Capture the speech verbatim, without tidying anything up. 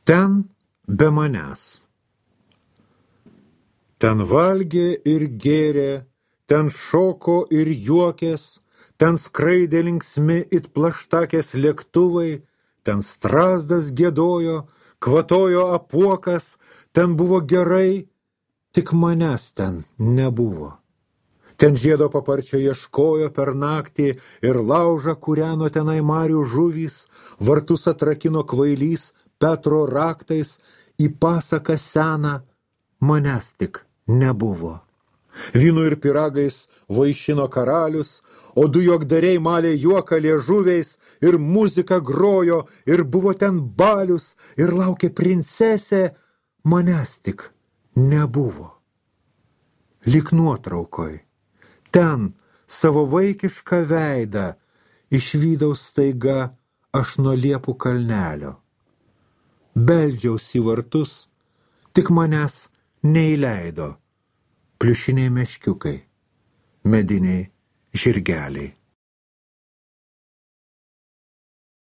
Ten be manęs. Ten valgė ir gėrė, ten šoko ir juokės, ten skraidė linksmi it plaštakės lėktuvai, ten strazdas giedojo, kvatojo apuokas, ten buvo gerai, tik manęs ten nebuvo. Ten žiedo paparčio ieškojo per naktį ir laužą kūreno tenai marių žuvys, vartus atrakino kvailys Petro raktais, į pasaką seną manęs tik nebuvo. Vynu ir piragais vaišino karalius, o du juokdariai malė juoką liežuviais ir muzika grojo ir buvo ten balius ir laukė princesė, manęs tik nebuvo. Lyg nuotraukoj, ten savo vaikišką veidą išvydau staiga aš nuo liepų kalnelio. Beldžiausi į vartus, tik manęs neįleido pliušiniai meškiukai, mediniai žirgeliai.